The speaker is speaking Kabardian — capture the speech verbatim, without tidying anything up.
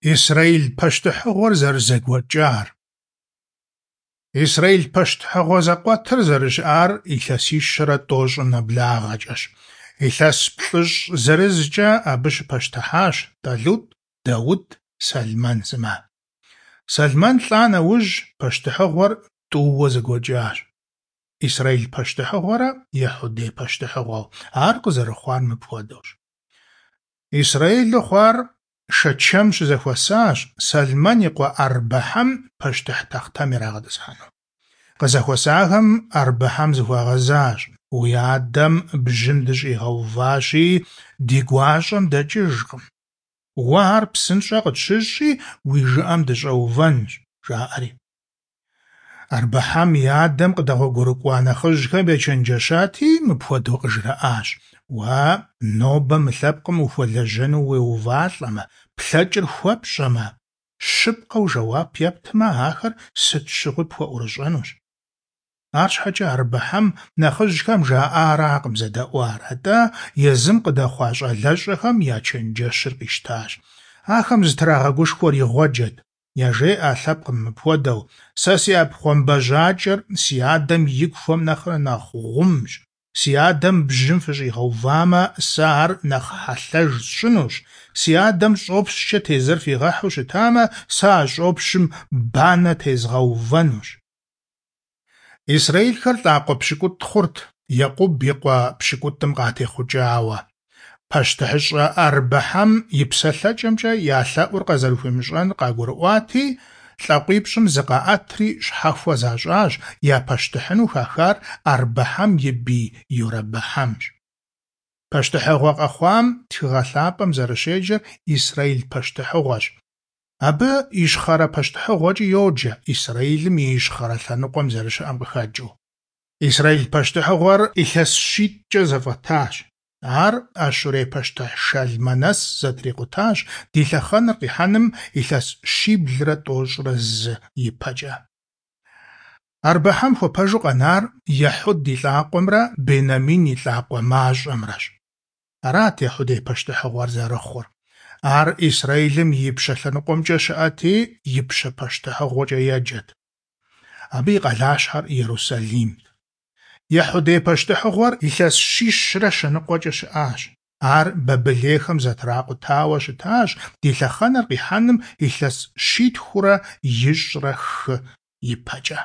Исрэил пащтыхьыгъуэр зэрызэгуэкӏар. Исрэил пащтыхьыгъуэ зэкъуэтыр зэрыщыӏар илъэсищэрэ тӏощӏым нэблагъэкӏэщ. Илъэс плӏыщӏ зырызкӏэ абы щыпащтыхьащ Тӏалутӏ, Даут, Сэлмэн сымэ. Сэлмэн лӏа нэужь, пащтыхьыгъуэр тӏууэ зэгуэкӏащ: Исрэил пащтыхьыгъуэрэ Ехьудей пащтыхьыгъуэу. Ар къызэрыхъуар мыпхуэдэущ. Исрэилу хъуар Шэчэм щызэхуэсащ Сэлмэн и къуэ Арбэхьэм пащтыхь тахътэм ирагъэтӏысхьэну. Къызэхуэсахэм Арбэхьэм зыхуагъэзащ: «Уи адэм бжьым дыщӏигъэуващи, ди гуащӏэм дэкӏыжкъым. Уэ ар псынщӏэ къытщыщӏи, уи жыӏэм дыщӏэувэнщ», – жаӏэри. Арбэхьэм и адэм къыдэгъуэгурыкӏуа нэхъыжьхэм ечэнджэщати, мыпхуэдэу къыжраӏащ: «Уэ нобэ мы лъэпкъым ухуэлэжьэну уеувалӏэмэ, плъэкӏыр хуэпщӏэмэ, щыпкъэу жэуап ептмэ, ахэр сыт щыгъуи пхуэӏурыщӏэнущ». Арщхьэкӏэ Арбэхьэм нэхъыжьхэм жаӏаракъым зэдэӏуар, атӏэ езым къыдэхъуа щӏалэщӏэхэм я чэнджэщыр къищтащ. Ахэм зытрагъэгушхуэр игъуэджэт. Яжеӏэ а лъэпкъым мыпхуэдэу: «Сэ си ӏэпхъуамбэжьакӏэр си адэм и куэм нэхърэ нэхъ гъумщ. Си адэм бжьым фыщӏигъэувамэ, сэ ар нэхъ хьэлъэж сщӏынущ. Си адэм щӏопщкӏэ тезыр фигъэхьу щытамэ, сэ а щӏопщым банэ тезгъэувэнущ». Исрэилхэр лӏакъуэ пщыкӏутӏ хъурт, Екъуб и къуэ пщыкӏутӏым къатехъукӏауэ. Пащтыхьыщӏэ Арбэхьэм и псэлъэкӏэмкӏэ я лъэӏур къазэрыхуимыщӏэнур къагурыӏуати, лӏакъуипщӏым зыкъаӏэтри щхьэхуэ защӏащ, я пащтыхьыну хахар Арбэхьэм и бий Йорэбэхьэмщ. Пащтыхьыгъуэ къэхъуам Тхыгъэ Лъапӏэм зэрыщеджэр Исрэил пащтыхьыгъуэщ. Абы Ищхъэрэ пащтыхьыгъуэкӏи йоджэ, Исрэилым и ищхъэрэ лъэныкъуэм зэрыщыӏэм къыхэкӏыу. Исрэил пащтыхьыгъуэр илъэс щитӏкӏэ зэфӏэтащ. Ар Ащурей пащтыхь Шалмэнэс зэтрикъутащ ди лъэхъэнэр къихьэным илъэс щиблрэ тӏощӏрэ зы ипэкӏэ. Арбэхьэм хуэпэжу къэнар Ехьуд и лӏакъуэмрэ Бенамин и лӏакъуэ мащӏэмрэщ. Арат Ехьудей пащтыхьыгъуэр зэрыхъур. Ар Исрэилым и ипщэ лъэныкъуэмкӏэ щыӏэти, Ипщэ пащтыхьыгъуэкӏэ еджэт. Абы и къалащхьэр Иерусалимт. Ехьудей пащтыхьыгъуэр илъэс щищрэ щэныкъуэкӏэ щыӏащ. Ар бабылейхэм зэтракъутауэ щытащ ди лъэхъэнэр къихьэным илъэс щитхурэ ищӏрэ хы ипэкӏэ.